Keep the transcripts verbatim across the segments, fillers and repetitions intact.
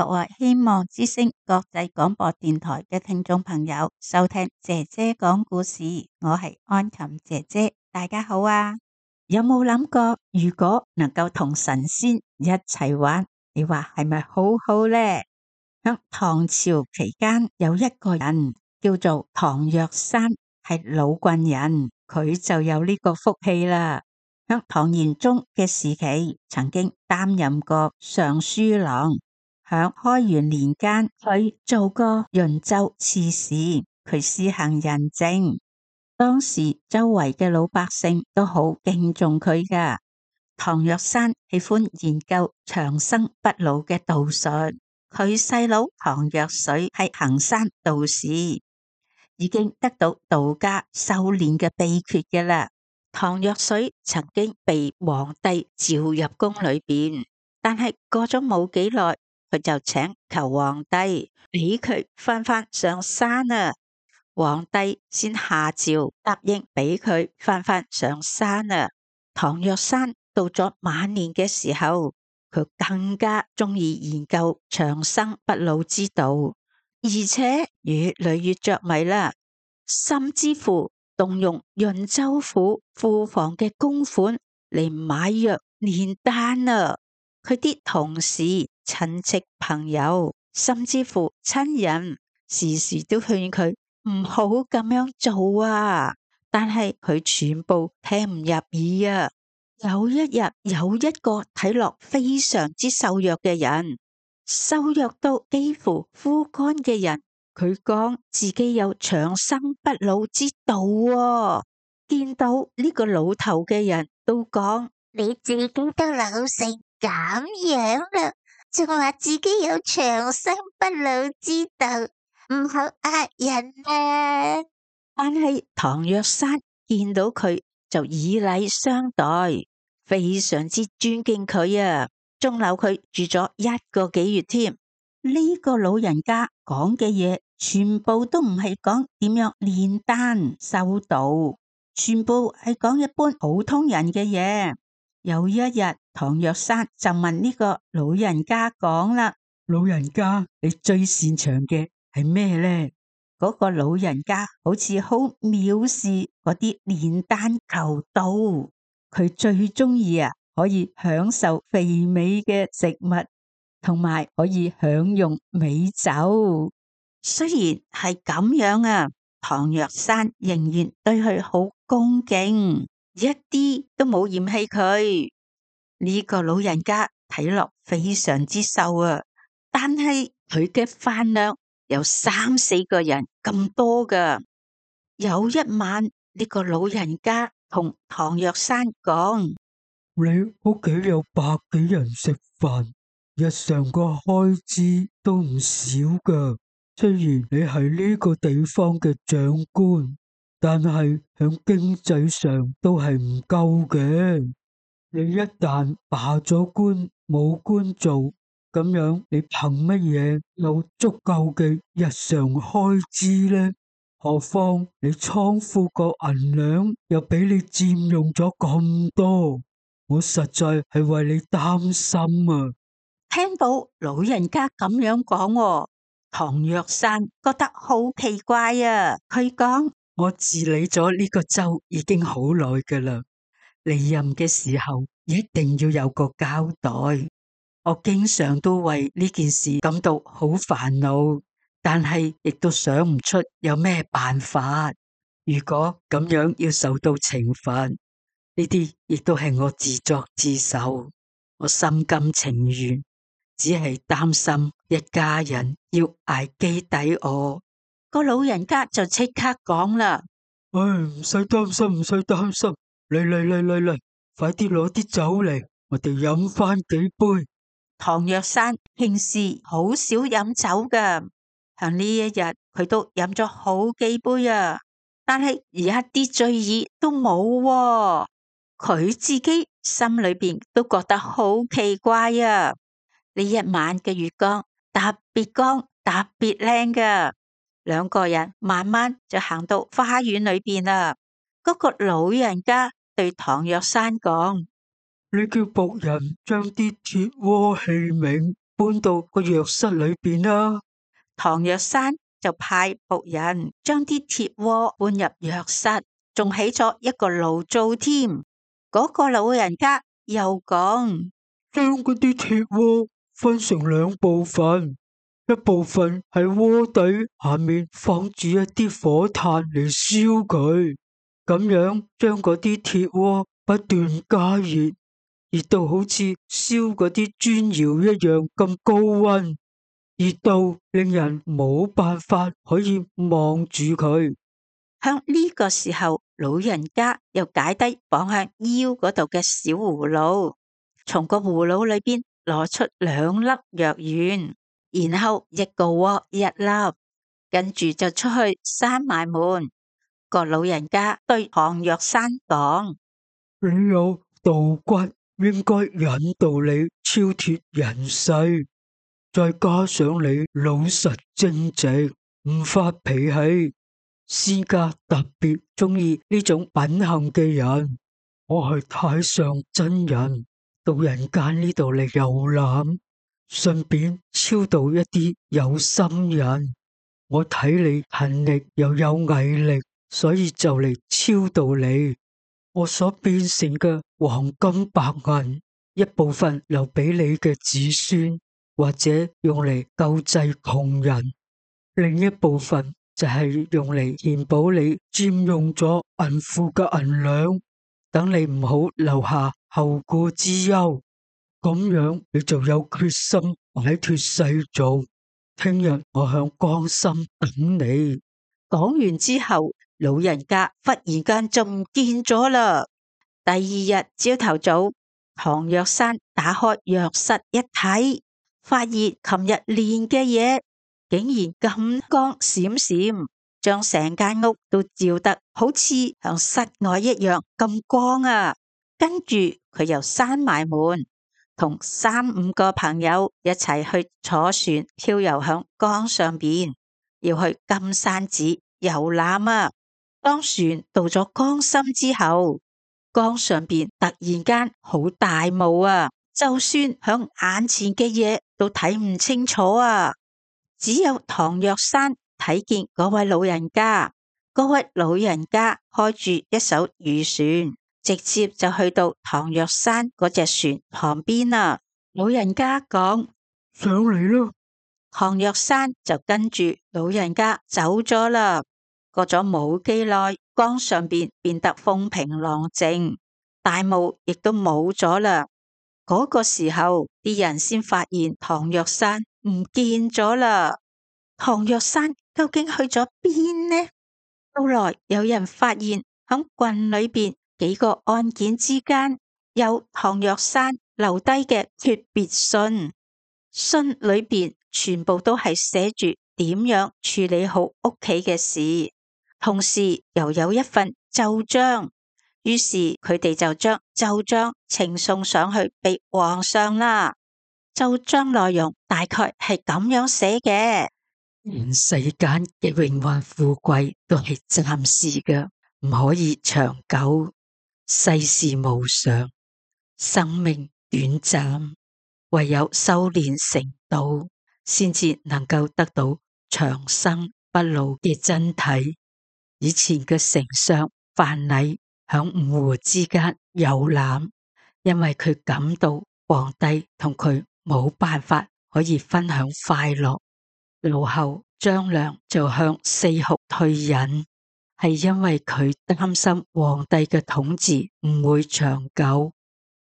各位希望之聲國際廣播電台嘅聽眾朋友收聽姐姐講故事，我係安琴姐姐，大家好啊！有冇諗過如果能夠同神仙一齊玩，你話係咪好好呢？喺唐朝期間有一個人叫做唐若山，係老郡人，佢就有呢個福氣啦。喺唐玄宗嘅時期，曾經擔任過尚書郎。喺開元年間，佢做過潤州刺史，佢施行仁政，當時周圍嘅老百姓都好敬重佢噶。唐若山喜歡研究長生不老嘅道術，佢細佬唐若水係行山道士，已經得到道家修煉嘅秘訣嘅啦。唐若水曾經被皇帝召入宮裏邊，但係過咗冇幾耐，佢就請求皇帝俾佢翻返上山啊！皇帝先下詔答應俾佢翻返上山啊！唐若山到咗晚年嘅時候，佢更加中意研究長生不老之道，而且越嚟越着迷啦，甚至乎動用潤州府庫房嘅公款嚟買藥煉丹啊！佢啲同事、親戚、朋友，甚至乎親人，時時都勸佢唔好咁樣做啊！但係佢全部聽唔入耳啊！有一日，有一個睇落非常之瘦弱嘅人，瘦弱到幾乎枯乾嘅人，佢講自己有長生不老之道啊！見到呢個老頭嘅人都講：你自己都老成咁樣啦，仲話自己有長生不老之道，唔好呃人啊！但係唐若山見到佢就以禮相待，非常之尊敬佢啊，仲留佢住咗一個幾月添。呢個老人家講嘅嘢，全部都唔係講點樣煉丹修道，全部係講一般普通人嘅嘢。有一日，唐若山就問呢個老人家講啦：老人家，你最擅長嘅係咩呢？嗰個老人家好似好藐視嗰啲煉丹求道，佢最中意啊，可以享受肥美嘅食物，同埋可以享用美酒。雖然係咁樣啊，唐若山仍然對佢好恭敬，一啲都冇嫌棄佢。呢個老人家睇落非常之瘦啊，但係佢嘅飯量有三四個人咁多噶。有一晚，呢個老人家同唐若山講：你屋企有百幾人食飯，日常個開支都唔少噶。雖然你係呢個地方嘅長官，但係響經濟上都係唔夠嘅。你一旦罷咗官，冇官做，咁樣你憑乜嘢有足夠嘅日常開支呢？何況你倉庫個銀兩又俾你佔用咗咁多，我實在係為你擔心啊！聽到老人家咁樣講，唐若山覺得好奇怪啊！佢講：我治理咗呢個州已經好耐噶啦。離任嘅時候一定要有個交代，我經常都為呢件事感到好煩惱，但係亦都想唔出有咩辦法。如果咁樣要受到懲罰，呢啲亦都係我自作自受，我心甘情願，只係擔心一家人要捱飢抵餓。個老人家就即刻講啦：唉，唔使擔心，唔使擔心。嚟嚟嚟嚟嚟，快啲攞啲酒嚟，我哋飲翻幾杯。唐若山平時好少飲酒噶，喺呢一日佢都飲咗好幾杯啊，但係一啲醉意都冇啊。佢自己心裏邊都覺得好奇怪啊。呢一晚嘅月光特別光，特別靚噶。兩個人慢慢就行到花園裏邊啦。嗰個老人家對唐若山講：你叫僕人將啲鐵鍋器皿搬到個藥室裏邊啦。唐藥山就派僕人將啲鐵鍋搬入藥室，仲起咗一個爐灶添。嗰、那個老人家又講，將嗰啲鐵鍋分成兩部分，一部分喺鍋底下面放住一啲火炭嚟燒佢，咁樣將嗰啲鐵鍋不斷加熱，熱到好似燒嗰啲磚窯一樣咁高溫，熱到令人冇辦法可以望住佢。向呢個時候，老人家又解低綁向腰嗰度嘅小葫蘆，從個葫蘆裏邊攞出兩粒藥丸，然後一個鍋一粒，跟住就出去閂埋門。個老人家對唐藥山講：你有道骨，應該引導你超脫人世，再加上你老實正直，唔發脾氣，私家特別中意呢種品行嘅人。我係太上真人，到人間呢度嚟遊覽，順便超度一啲有心人。我睇你勤力又有毅力，所以就嚟超度你。我所變成嘅黃金白銀，一部分留俾你嘅子孫，或者用嚟救濟窮人，另一部分就係用嚟填補你佔用咗銀庫嘅銀兩，等你唔好留下後顧之憂。咁樣你就有決心擺脫世俗。聽日我向江心等你。講完之後，老人家忽然間就唔見咗啦。第二日朝頭早，唐藥山打開藥室一睇，發現琴日練嘅嘢竟然咁光閃閃，將成間屋都照得好似響室外一樣咁光啊！跟住佢又閂埋門，同三五個朋友一齊去坐船漂遊響江上邊，要去金山寺遊覽啊！當船到咗江心之後，江上邊突然間好大霧啊，就算響眼前嘅嘢都睇唔清楚啊！只有唐藥山睇見嗰位老人家，嗰位老人家開住一艘漁船，直接就去到唐藥山嗰隻船旁邊啊。老人家講：上嚟啦！唐藥山就跟住老人家走咗啦。過咗冇幾耐，江上邊變得風平浪靜，大霧亦都冇咗啦。嗰個時候，啲人先發現唐藥山唔見咗啦。唐藥山究竟去咗邊呢？後來有人發現響郡裏邊幾個案件之間有唐藥山留低嘅訣別信，信裏邊全部都係寫住點樣處理好屋企嘅事，同時又有一份奏章。於是佢哋就將奏章呈送上去俾皇上啦。奏章內容大概係咁樣寫嘅：人世間嘅榮華富貴都係暫時嘅，唔可以長久。世事無常，生命短暫，唯有修煉成道，先至能夠得到長生不老嘅真體。以前嘅丞相范蠡響五湖之間遊覽，因為佢感到皇帝同佢冇辦法可以分享快樂，老後張良就向四學退隱，係因為佢擔心皇帝嘅統治唔會長久。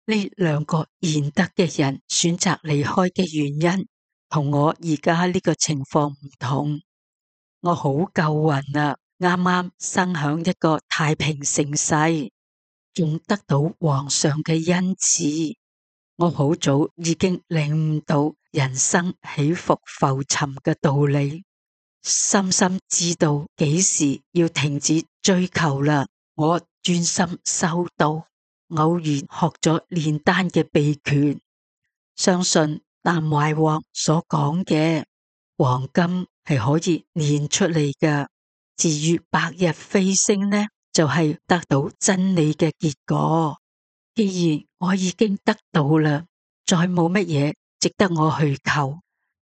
呢兩個賢德嘅人選擇離開嘅原因，同我而家呢個情況唔同。我好夠運啊，啱啱生響一個太平盛世，仲得到皇上嘅恩賜。我好早已經領悟到人生起伏浮沉嘅道理，深深知道幾時要停止追求啦。我專心修道，偶然學咗煉丹嘅秘訣，相信南懷王所講嘅黃金係可以煉出嚟㗎。至於白日飛升呢，就係、是、得到真理嘅結果。既然我已經得到啦，再冇乜嘢值得我去求。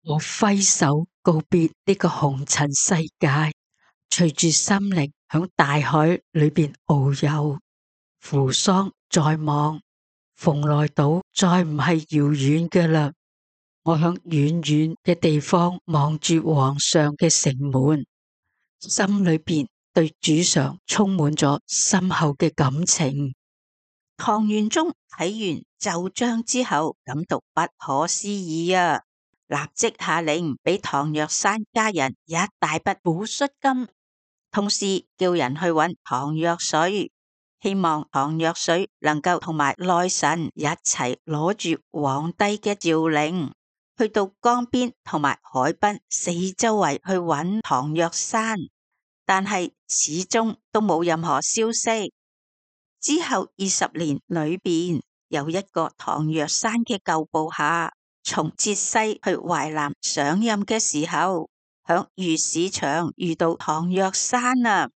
我揮手告別呢個紅塵世界，隨住心靈響大海裏邊遨遊。扶桑在望，蓬萊島再唔係遙遠嘅啦。我響遠遠嘅地方望住皇上嘅城門，心裏邊對主上充滿咗深厚嘅感情。唐玄宗睇完奏章之後，感到不可思議啊！立即下令俾唐若山家人一大筆撫恤金，同時叫人去揾唐若水，希望唐若水能夠同埋內臣一齊攞住皇帝嘅詔令，去到江邊同埋海濱四周圍去揾唐若山，但係始終都冇任何消息。之後二十年裏邊，有一個唐若山嘅舊部下，從浙西去淮南上任嘅時候，響魚市場遇到唐若山啊，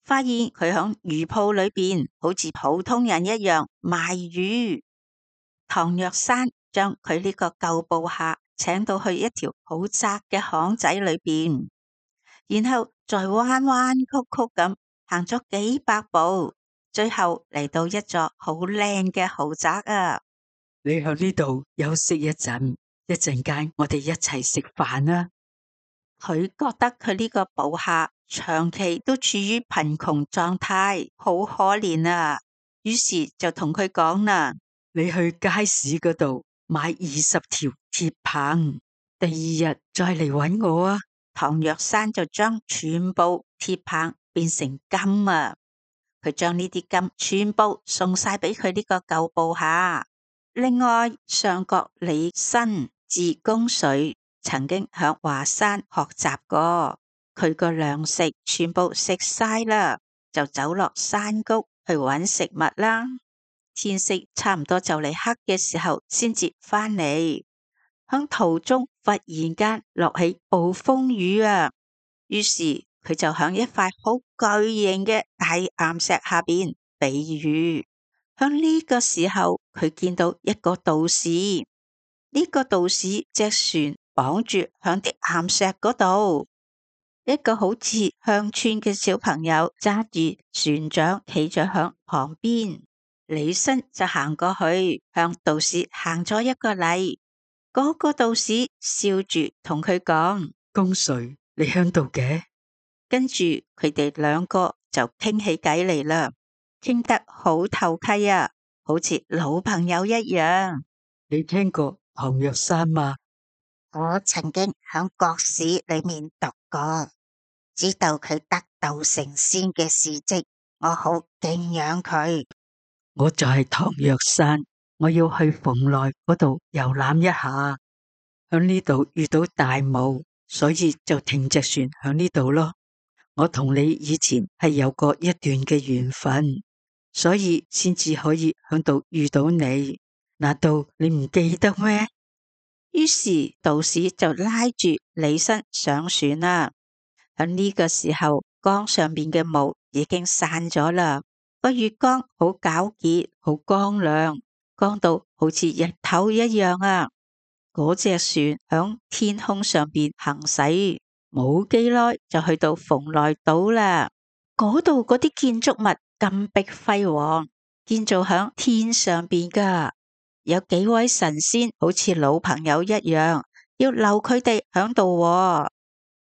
發現佢響魚鋪裏邊好似普通人一樣賣魚。唐若山將佢呢個舊部下請到去一條好窄嘅巷仔裏邊，然後再彎彎曲曲咁行咗幾百步，最後嚟到一座好靚嘅豪宅啊！你喺呢度休息一陣，一陣間我哋一齊食飯啊！佢覺得佢呢個部下長期都處於貧窮狀態，好可憐啊！於是就同佢講啦：你去街市嗰度買二十條鐵棒，第二日再嚟搵我啊！唐若山就將全部鐵棒變成金啊！佢將呢啲金全部送晒俾佢呢個舊部下。另外，上國李紳字公遂曾經響華山學習過，佢個糧食全部食晒啦，就走落山谷去揾食物啦。天色差唔多就嚟黑嘅時候，先至返嚟。響途中忽然間落起暴風雨啊！於是佢就響一塊好巨型嘅大岩石下邊避雨。響呢個時候，佢見到一個道士，呢、這個道士隻船綁住響啲岩石嗰度，一個好似鄉村嘅小朋友揸住船槳企咗響旁邊。李紳就行過去向道士行咗一個禮，嗰、那個道士笑住同佢講：公遂，你響度嘅？跟住佢哋兩個就傾起偈嚟啦，傾得好投契啊，好似老朋友一樣。你聽過唐若山嗎？我曾經響國史裏面讀過，知道佢得道成仙嘅事跡，我好敬仰佢。我就係唐若山，我要去蓬萊嗰度遊覽一下，響呢度遇到大霧，所以就停隻船響呢度咯。我同你以前係有過一段嘅緣分，所以先至可以響度遇到你。難道你唔記得咩？於是道士就拉住李紳上船啦。喺呢個時候，江上面嘅霧已經散咗啦。個月光好皎潔，好光亮，光到好似日頭一樣啊！嗰隻船響天空上邊行駛，冇幾耐就去到蓬萊島啦。嗰度嗰啲建築物金碧輝煌，建造響天上邊噶。有幾位神仙好似老朋友一樣，要留佢哋響度。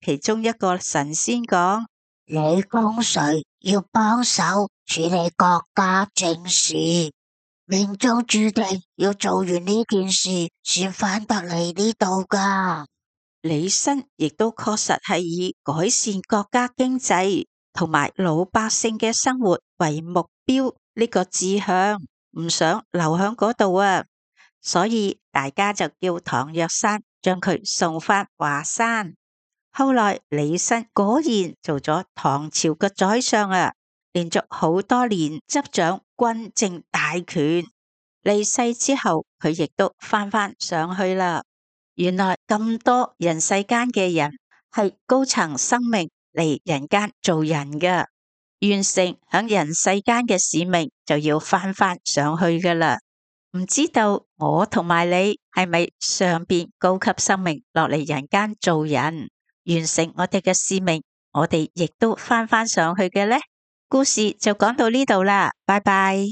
其中一個神仙講：李公遂要幫手處理國家政事，命中注定要做完呢件事先返得嚟呢度噶。李紳亦都確實係以改善國家經濟同埋老百姓嘅生活為目標，呢個志向唔想留響嗰度啊，所以大家就叫唐若山將佢送返華山。後來李紳果然做咗唐朝嘅宰相啊，連續好多年執掌軍政大權。離世之後，佢亦都翻返上去啦。原來咁多人世間嘅人係高層生命嚟人間做人嘅，完成響人世間嘅使命就要翻返上去噶啦。唔知道我同埋你係咪上邊高級生命落嚟人間做人，完成我哋嘅使命，我哋亦都返返上去嘅呢？故事就講到呢度啦，拜拜。